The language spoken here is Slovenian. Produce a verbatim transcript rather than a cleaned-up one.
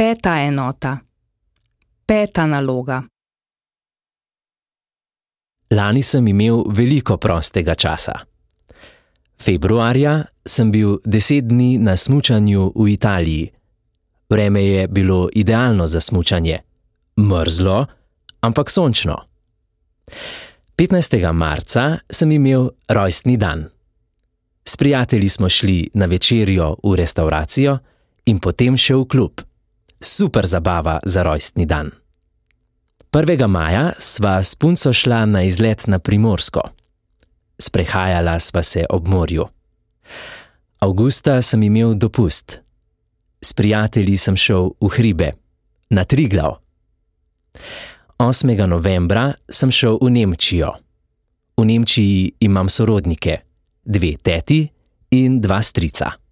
Peta enota. Peta naloga. Lani sem imel veliko prostega časa. Februarja sem bil deset dni na smučanju v Italiji. Vreme je bilo idealno za smučanje. Mrzlo, ampak sončno. petnajstega marca sem imel rojstni dan. S prijatelji smo šli na večerjo v restavracijo in potem še v klub. Super zabava za rojstni dan. prvega maja sva s punco šla na izlet na Primorsko. Sprehajala sva se ob morju. Avgusta sem imel dopust. S prijatelji sem šel v hribe, na Triglav. osmega novembra sem šel v Nemčijo. V Nemčiji imam sorodnike, dve teti in dva strica.